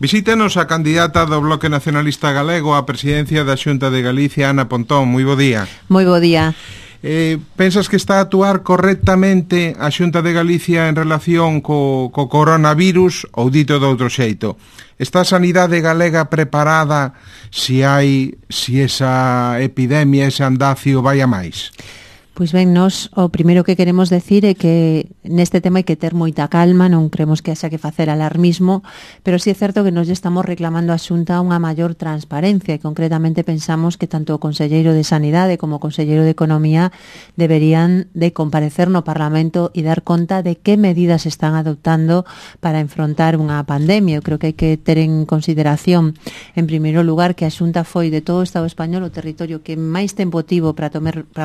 Visítanos a candidata do Bloque Nacionalista Galego á presidencia da Xunta de Galicia, Ana Pontón. Moi bo día. Moi bo día. Pensas que está a actuar correctamente a Xunta de Galicia en relación co coronavirus ou dito de outro xeito? Está a sanidade galega preparada se esa epidemia, ese andacio vai a máis? Pois ben, nós o primeiro que queremos decir é que neste tema hai que ter moita calma, non creemos que haxa que facer alarmismo, pero sí é certo que nos estamos reclamando a Xunta unha maior transparencia e concretamente pensamos que tanto o Conselleiro de Sanidade como o Conselleiro de Economía deberían de comparecer no Parlamento e dar conta de que medidas están adoptando para enfrontar unha pandemia. Eu creo que hai que ter en consideración, en primeiro lugar, que a Xunta foi de todo o Estado español o territorio que máis tempo tivo para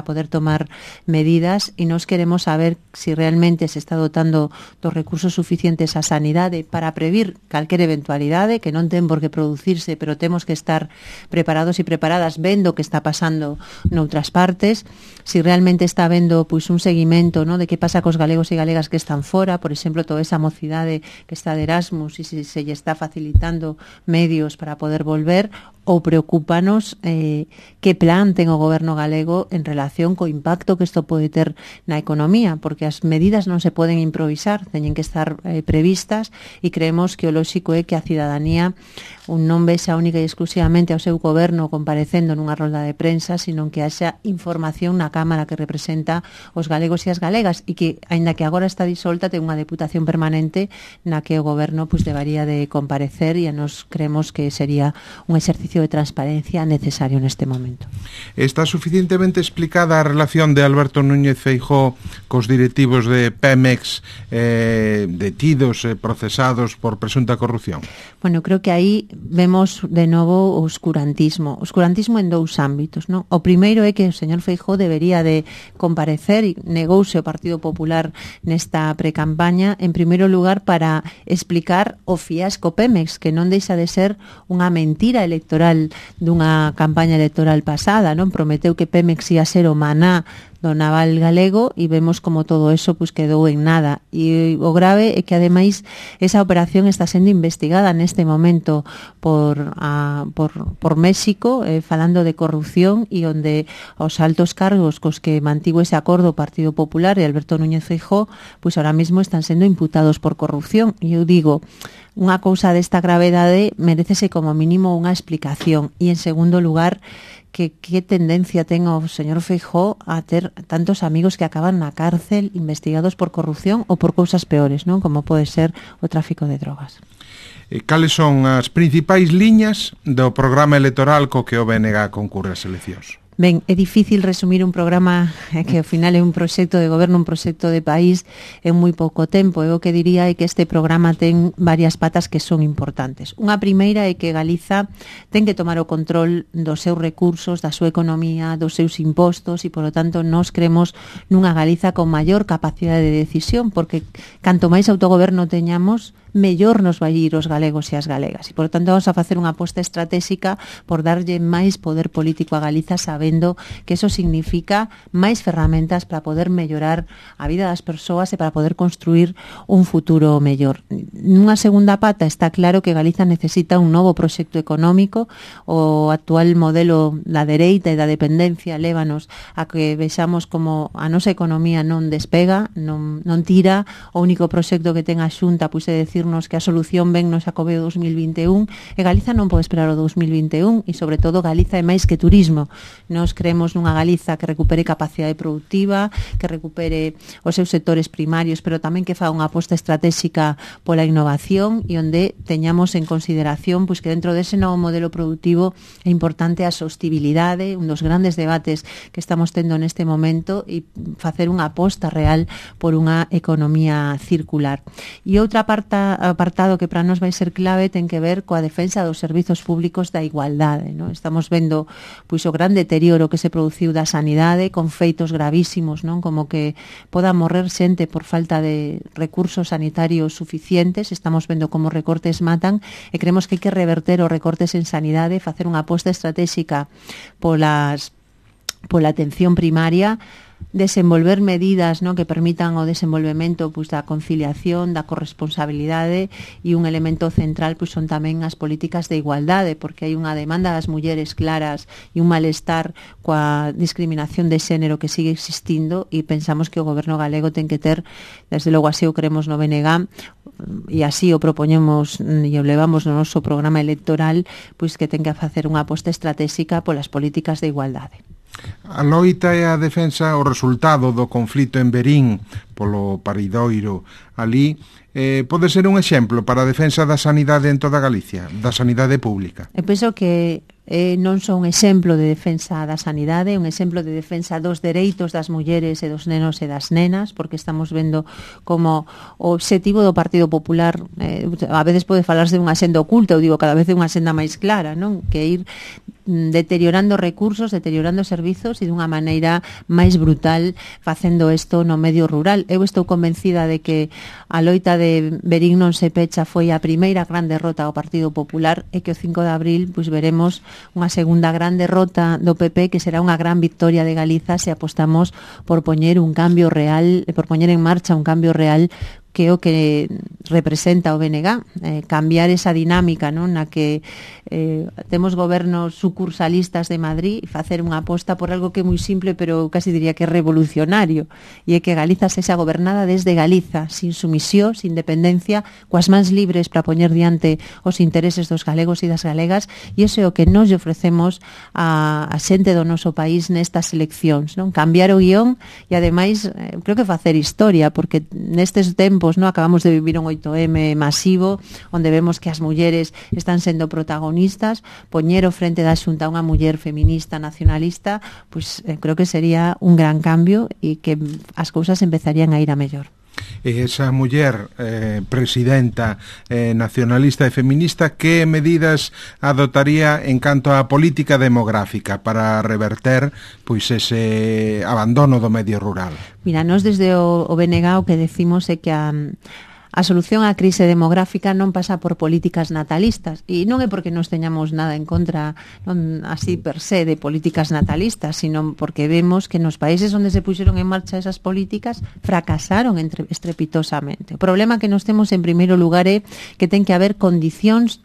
poder tomar medidas e nos queremos saber se realmente se está dotando dos recursos suficientes á sanidade para previr calquer eventualidade que non ten por que producirse, pero temos que estar preparados e preparadas vendo o que está pasando noutras partes, se realmente está vendo pois un seguimento, ¿no?, de que pasa cos galegos e galegas que están fora, por exemplo, toda esa mocidade que está de Erasmus e se lle está facilitando medios para poder volver, ou preocúpanos que plan ten o goberno galego en relación co impacto que isto pode ter na economía, porque as medidas non se poden improvisar, teñen que estar previstas e creemos que o lóxico é que a cidadanía non vexa única e exclusivamente ao seu goberno comparecendo nunha rolda de prensa, sino que haxa información na Cámara que representa os galegos e as galegas e que, aínda que agora está disolta, ten unha deputación permanente na que o goberno debería de comparecer e nos creemos que sería un exercicio de transparencia necesario neste momento. Está suficientemente explicada a relación de Alberto Núñez Feijóo cos directivos de Pemex detidos e procesados por presunta corrupción? Bueno, creo que aí vemos de novo o oscurantismo en dous ámbitos, non? O primeiro é que o señor Feijóo debería de comparecer e negouse o Partido Popular nesta precampaña, en primeiro lugar para explicar o fiasco Pemex, que non deixa de ser unha mentira electoral dunha campaña electoral pasada, non? Prometeu que Pemex ia ser o maná do naval galego e vemos como todo eso quedou en nada. E o grave é que ademais esa operación está sendo investigada neste momento por México, falando de corrupción e onde os altos cargos cos que mantivo ese acordo o Partido Popular e Alberto Núñez Feijóo, ahora mesmo están sendo imputados por corrupción. E eu digo, unha cousa desta gravedade merécese como mínimo unha explicación. E en segundo lugar, que tendencia ten o señor Feijóo a ter tantos amigos que acaban na cárcel investigados por corrupción ou por cousas peores, non? Como pode ser o tráfico de drogas. Cales son as principais liñas do programa electoral co que o BNG concurre ás eleccións? Ben, é difícil resumir un programa que ao final é un proxecto de goberno, un proxecto de país en moi pouco tempo. Eu o que diría é que este programa ten varias patas que son importantes. Unha primeira é que Galiza ten que tomar o control dos seus recursos, da súa economía, dos seus impostos e, polo tanto, nós cremos nunha Galiza con maior capacidade de decisión, porque canto máis autogoberno teñamos, mellor nos vai ir os galegos e as galegas. E, por tanto, vamos a facer unha aposta estratégica por darlle máis poder político a Galiza, sabendo que eso significa máis ferramentas para poder mellorar a vida das persoas e para poder construir un futuro mellor. Nunha segunda pata está claro que Galiza necesita un novo proxecto económico. O actual modelo da dereita e da dependencia lévanos a que vexamos como a nosa economía non despega, non tira. O único proxecto que ten a Xunta é decir que a solución ven no Xacobeo 2021 e Galiza non pode esperar o 2021 e, sobre todo, Galiza é máis que turismo. Nos creemos nunha Galiza que recupere capacidade productiva, que recupere os seus sectores primarios, pero tamén que faga unha aposta estratégica pola innovación e onde teñamos en consideración que dentro dese novo modelo productivo é importante a sostibilidade, un dos grandes debates que estamos tendo neste momento, e facer unha aposta real por unha economía circular. E outra apartado que para nós vai ser clave ten que ver coa defensa dos servizos públicos da igualdade, non? Estamos vendo o gran deterioro que se produciu da sanidade, con feitos gravísimos, non? Como que poda morrer xente por falta de recursos sanitarios suficientes. Estamos vendo como recortes matan e creemos que hai que reverter os recortes en sanidade, facer unha aposta estratégica pola atención primaria, desenvolver medidas, no, que permitan o desenvolvemento pois, da conciliación, da corresponsabilidade, e un elemento central pois, son tamén as políticas de igualdade, porque hai unha demanda das mulleres claras e un malestar coa discriminación de xénero que sigue existindo, e pensamos que o goberno galego ten que ter, desde logo así o creemos no BNG, e así o propoñemos e o levamos no noso programa electoral, pois que ten que facer unha aposta estratégica polas políticas de igualdade. A loita e a defensa, o resultado do conflito en Verín polo paridoiro ali, pode ser un exemplo para a defensa da sanidade en toda Galicia, da sanidade pública. Eu penso que non son un exemplo de defensa da sanidade, un exemplo de defensa dos dereitos das mulleres e dos nenos e das nenas, porque estamos vendo como o obxectivo do Partido Popular a veces pode falarse dunha senda oculta, eu digo cada vez é unha senda máis clara, non? Que ir deteriorando recursos, deteriorando servizos e dunha maneira máis brutal facendo isto no medio rural. Eu estou convencida de que a loita de Verín non se pecha foi a primeira gran derrota ao Partido Popular e que o 5 de abril pois veremos unha segunda gran derrota do PP, que será unha gran victoria de Galiza se apostamos por poñer un cambio real, por poñer en marcha un cambio real que é o que representa o BNG, cambiar esa dinámica, non, na que temos gobernos sucursalistas de Madrid e facer unha aposta por algo que é moi simple, pero casi diría que é revolucionario, e é que Galiza sexa gobernada desde Galiza, sin sumisión, sin dependencia, coas mans libres para poñer diante os intereses dos galegos e das galegas, e iso é o que nos ofrecemos a xente do noso país nestas eleccións, non? Cambiar o guión e, ademais, creo que facer historia, porque nestes tempos no acabamos de vivir un 8M masivo onde vemos que as mulleres están sendo protagonistas, poñer o frente da Xunta unha muller feminista nacionalista, pois creo que sería un gran cambio e que as cousas empezarían a ir a mellor. E esa muller presidenta nacionalista e feminista, que medidas adotaría en canto á política demográfica para reverter pois ese abandono do medio rural? Mira, nós desde o BNG o que decimos é que a solución á crise demográfica non pasa por políticas natalistas, e non é porque nos teñamos nada en contra, non así per se, de políticas natalistas, sino porque vemos que nos países onde se puxeron en marcha esas políticas fracasaron estrepitosamente. O problema que nos temos en primeiro lugar é que ten que haber condicións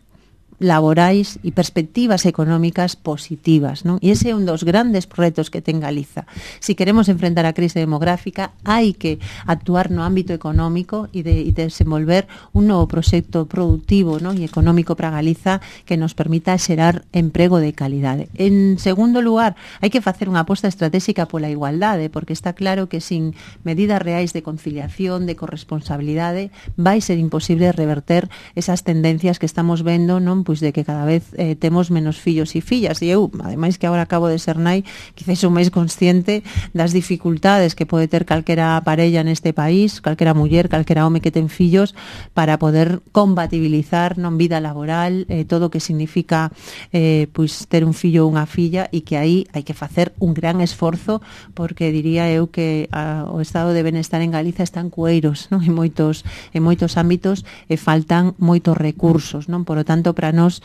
laborais e perspectivas económicas positivas, non? E ese é un dos grandes retos que ten Galiza. Si queremos enfrentar a crise demográfica, hai que actuar no ámbito económico e desenvolver un novo proxecto productivo, non? E económico para Galiza que nos permita xerar emprego de calidade. En segundo lugar, hai que facer unha aposta estratégica pola igualdade, porque está claro que sin medidas reais de conciliación, de corresponsabilidade, vai ser imposible reverter esas tendencias que estamos vendo, non? Pois de que cada vez temos menos fillos e fillas, e eu, ademais que agora acabo de ser nai, quizás sou máis consciente das dificultades que pode ter calquera parella neste país, calquera muller, calquera home que ten fillos, para poder compatibilizar non vida laboral, todo o que significa pois ter un fillo ou unha filla, e que aí hai que facer un gran esforzo, porque diría eu que o estado de benestar en Galiza está en cueiros, non? En moitos ámbitos, e faltan moitos recursos, non? Por lo tanto, para nós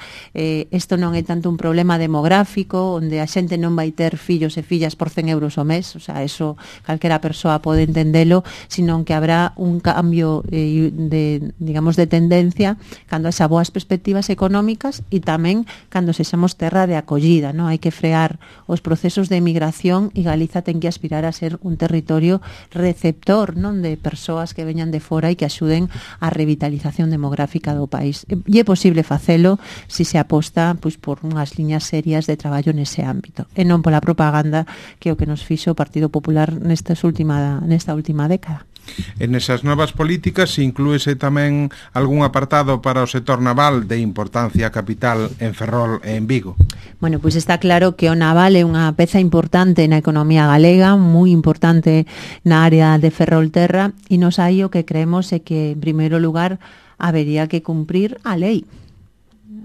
isto non é tanto un problema demográfico onde a xente non vai ter fillos e fillas por 100 euros ao mes, o sea, eso calquera persoa pode entendelo, sino que habrá un cambio digamos de tendencia cando haxa boas perspectivas económicas e tamén cando sexamos terra de acollida, non? Hai que frear os procesos de emigración, e Galiza ten que aspirar a ser un territorio receptor, non, de persoas que veñan de fora e que axuden á revitalización demográfica do país. E é posible facelo si se aposta pois por unhas liñas serias de traballo nese ámbito, e non pola propaganda que é o que nos fixo o Partido Popular nesta última década. En esas novas políticas inclúese tamén algún apartado para o sector naval de importancia capital en Ferrol e en Vigo? Bueno, pois está claro que o naval é unha peza importante na economía galega, moi importante na área de Ferrolterra, e nos aí o que creemos é que, en primeiro lugar, habería que cumprir a lei.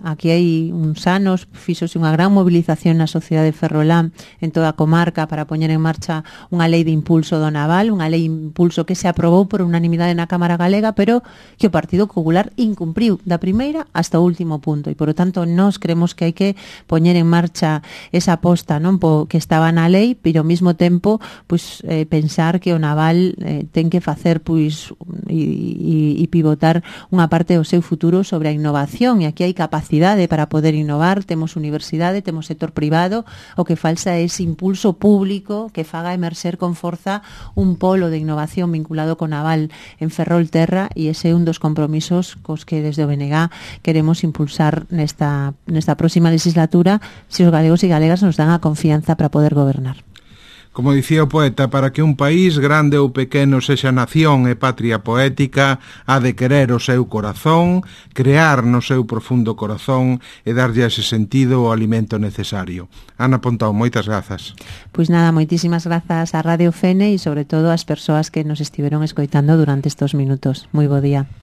aquí hai uns anos fixose unha gran movilización na sociedade ferrolán en toda a comarca para poñer en marcha unha lei de impulso do naval, unha lei de impulso que se aprobou por unanimidade na Cámara Galega, pero que o Partido Popular incumpriu da primeira hasta o último punto, e por lo tanto nós creemos que hai que poñer en marcha esa aposta, non, que estaba na lei, pero ao mesmo tempo pois pensar que o naval ten que facer pois e pivotar unha parte do seu futuro sobre a innovación, e aquí hai capacidade para poder innovar, temos universidade, temos sector privado, o que falta é ese impulso público que faga emerxer con forza un polo de innovación vinculado con naval en Ferrolterra, e ese é un dos compromisos cos que desde o BNG queremos impulsar nesta próxima legislatura, se os galegos e galegas nos dan a confianza para poder gobernar. Como dicía o poeta, para que un país, grande ou pequeno, sexa nación e patria poética, ha de querer o seu corazón, crear no seu profundo corazón e darlle ese sentido o alimento necesario. Ana Pontón, moitas grazas. Pois nada, moitísimas grazas a Radio Fene e sobre todo ás persoas que nos estiveron escoitando durante estes minutos. Moi bo día.